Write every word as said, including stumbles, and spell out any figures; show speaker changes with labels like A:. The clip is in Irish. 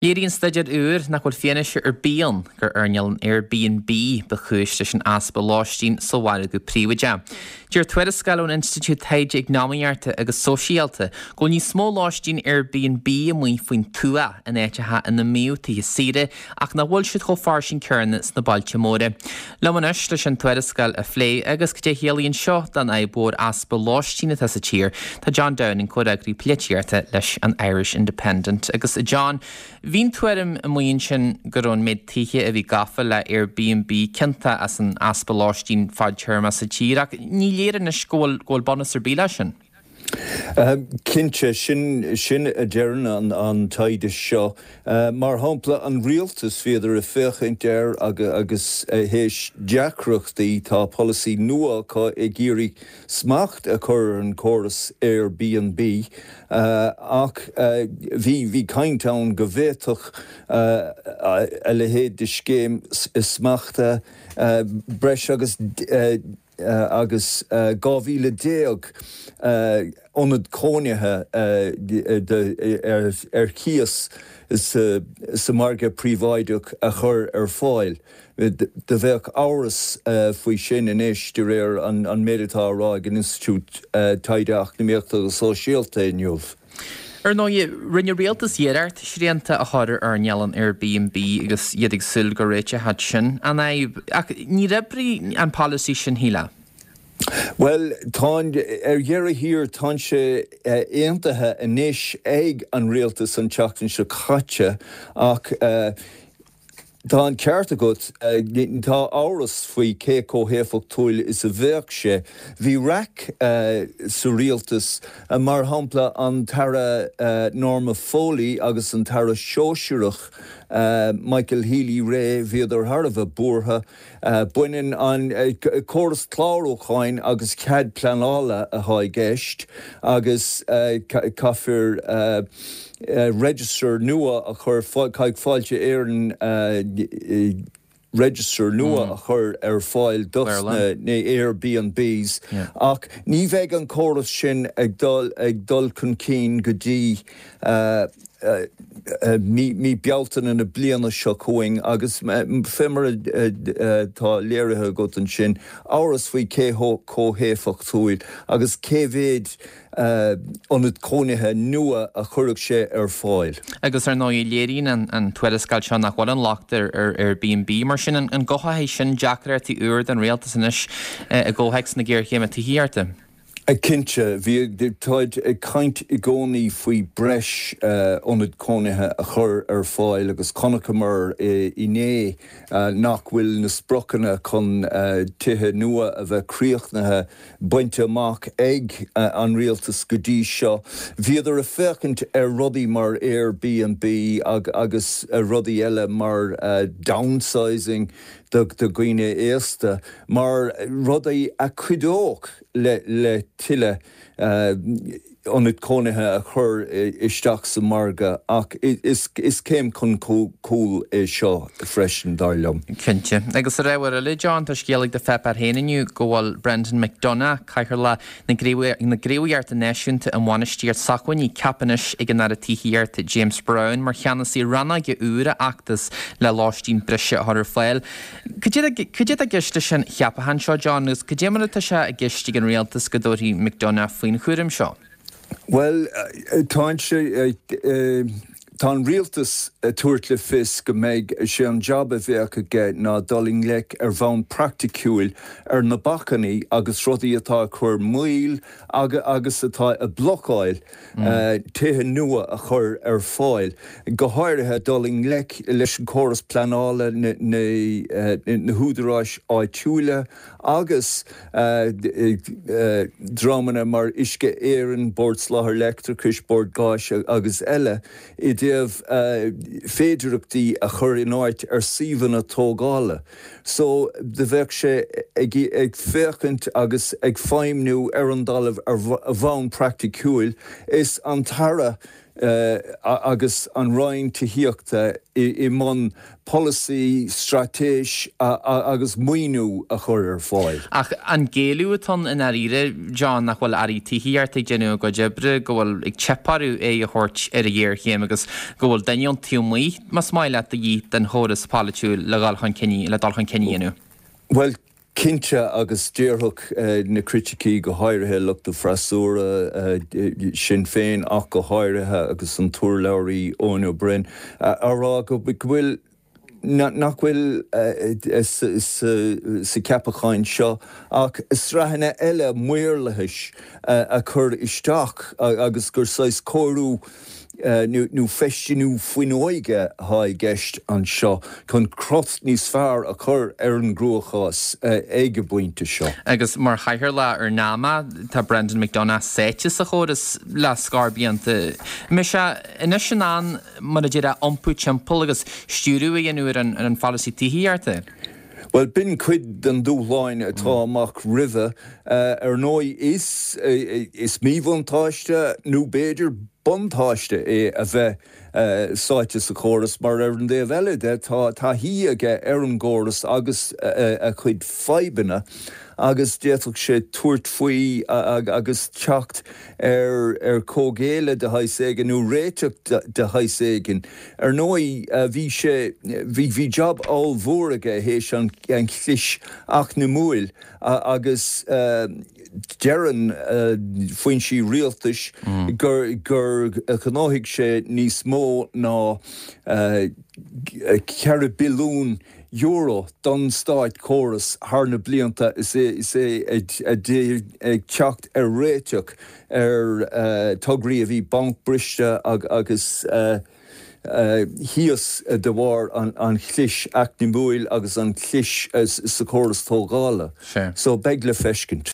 A: Léiríonn staidéar úr nach bhfuil fianaise ar bith ann gur earnáil an Airbnb ba chúis leis an easpa lóistín sa mhargadh príobháideach. Deir tuarascáil ón Institiúid Taighde Eacnamaíochta agus Sóisialta go bhfuil níos mó lóistín Airbnb amuigh faoin tuath in áiteacha ina mbíodh tithe saoire ach nach bhfuil siad chomh fairsing céanna sna bailte móra. Liom anois leis an tuarascáil a phlé agus cad é a chiallaíonn seo don fhadhb mhór easpa lóistín atá sa tír, tá John Downing, comhfhreagraí polaitíochta leis an Irish Independent. Agus John, bhí an tuairim amuigh ansin go raibh an méid tithe a bhí gafa le Airbnb ciontach as an easpa lóistín fadtéarma sa tír ach ní léir anois go bhfuil go bhfuil bunús ar bith leis sin.
B: Cinnte sin sin a deireann an, an taighde seo. Uh, mar shampla an rialtas bhíodar ag féachaint air agus, agus théis deacrachtaí tá polasaí nua acu ag iarraidh smacht a chur ar an córas Airbnb uh, ach uh, bhí bhí caint ann go bhféadfadh uh, a leithéid de scéim smachta uh, breis agus uh, uh, agus uh, dhá mhíle déag uh, ionad cónaithe uh, ar, ar cíos sa, sa margadh príobháideach a chur ar fáil. Do bheadh amhras uh, faoi sin anois de réir an, an méid atá á rá ag an Institiúid uh, Taighde Eacnamaíochta agus Sóisialta inniu.
A: Ar ndóigh rinne rialtas iarracht srianta a chur ar earnáil an Airbnb agus iad ag súil go réiteodh sin an fhadhb ach níor oibrigh an polasaí sin shílfeá.
B: Well tá ar dheireadh thiar tá sé aontaithe anois ag an rialtas an tseachtain seo caite ach uh, Tá an ceart agat tá amhras faoi cé chomh héifeachtúil is a bheadh sé. Bhí raic uh, sa rialtas uh, mar shampla an tAire uh, Norma Foley agus an tAire Sóisearach uh, Michael Healy-Rae bhíodar thar a bheith buartha uh, baineann an uh, córas clárúcháin agus cead pleanála atá i gceist agus uh, caithfear uh, uh, register nua a chur caithfidh Fáilte Éireann uh, register nua mm. a chur ar fáil dos na na Airbnbs yeah. ach ní bheidh an córas sin ag dul ag dul chun cinn go dtí uh, uh, uh, mí mí Bealtaine na bliana seo chugainn agus fé mar tá léirithe agat ansin amhras faoi cé chomh héifeachtúil agus cé mhéad ionad cónaithe nua a chuirfeadh sé ar fáil.
A: Agus ar ndóigh léiríonn an, an tuarascáil seo nach bhfuil an locht ar ar Airbnb mar sin an, an gcruthóidh sin deacrachtaí úr don rialtas anois i gcomhthéacs na géarchéime tithíochta.
B: Cinnte bhí táid ag caint i gcónaí faoi breis ionad cónaithe a chur ar fáil agus chonaiceamar inné nach bhfuil na spriocanna chun tithe nua a bheith críochnaithe bainte amach ag an rialtas go dtí seo. Bhíodar ag féachaint ar rudaí mar Airbnb agus rudaí eile mar downsizing do dhaoine aosta mar rudaí a chuideodh le le tuilleadh ionad cónaithe a chur isteach sa margadh ach is is céim chun cúil é seo freisin dar liom.
A: Cinnte. Agus ar ábhar eile John tá scéal ag do pháipéar féin inniu go bhfuil Brendan McDonagh Cathaoirleach na gCraobhacha Náisiúnta um Bhainistíocht Sócmhainní ceaptha anois ag an Aire Tithíochta James Browne mar cheannasaí rannóige úr a fheachtas le lóistín breise a chur ar fáil. Cad é i gceist leis an cheapachán seo John agus cad é mar atá sé i gceist ag an rialtas go dtabharfaí McDonagh faoin chúram seo.
B: Well tá sé Tá an rialtas tabhairt le fios go mbeidh sé an job a bheadh aige ná dul i ngleic ar bhonn praiticiúil ar na bacainní agus rudaí atá chur moill agus agus atá ag blocáil mm. tithe nua a chur ar fáil. Go háirithe dul i ngleic leis an córas pleanála na, na, na húdaráis áitiúla agus uh, uh, dreamanna mar Uisce Éireann, Bord Soláthair Leictreachais, Bord Gáis agus eile i dtaobh uh, féidearthachtaí a chur in áit ar suíomhanna tógála. So do bheadh sé ag, ag féachaint agus ag feidhmiú ar an dtalamh ar bhonn praiticiúil is an tAire agus an Roinn Tithíochta i mbun polasaí, straitéis agus maoiniú a chur ar fáil.
A: Ach an géilleadh atá ann i ndáiríre, John, nach bhfuil airí tithíochta ag déanamh a gcuid oibre, go bhfuil ag teip orthu aghaidh a thabhairt ar an ghéarchéim agus go bhfuil duine ón taobh amuigh, más maith leat, de dhíth don chóras polaitiúil le dhul chun cinn le dul chun cinn a dhéanamh?
B: Bhuel, cinnte, agus déarfadh na criticí, go háirithe lucht an fhreasúra, Sinn Féin ach go háirithe, agus an t-urlabhraí Eoin Ó Broin, á rá go bhfuil nach bhfuil sa cheapachán seo ach sraitheanna eile maorlathais a chur isteach agus gur saghas cóiriú nó feistiú fuinneoige atá i gceist anseo chun crot níos fearr a chur ar an gcruachás ag an bpointe seo.
A: Agus mar chathaoirleach ar NAMA, tá Brendan McDonagh sáite sa chóras le scór blianta. An mbeidh sé anois in ann, mar a déarfá, iompú timpeall agus stiúradh a dhéanamh ar an pholasaí tithíochta?
B: Bhuel, b'in cuid den dúshláin atá amach roimhe. Ar ndóigh, is is míbhuntáiste nó b'fhéidir buntáiste é a bheith sáite sa chóras mar ar an dtaobh eile de tá taithí aige ar an gcóras agus a chuid fadhbanna agus d'fhéadfadh sé tabhairt faoi agus teacht ar ar comhghéilleadh de shaghas éigin nó réiteach de shaghas éigin. Ar ndóigh bhí sé bhí bhí jab ollmhór aige théis an an chlis eacnamúil agus deireann foinsí rialtais gur gur ghnóthaigh sé níos mó ná ceithre billiún euro don státchóras thar na blianta is é is é ag teacht ar réiteach ar tograí a bhí bancbhriste agus thíos de bharr an chlis eacnamúil agus an chlis sa chóras tógála. So beidh le feiscint.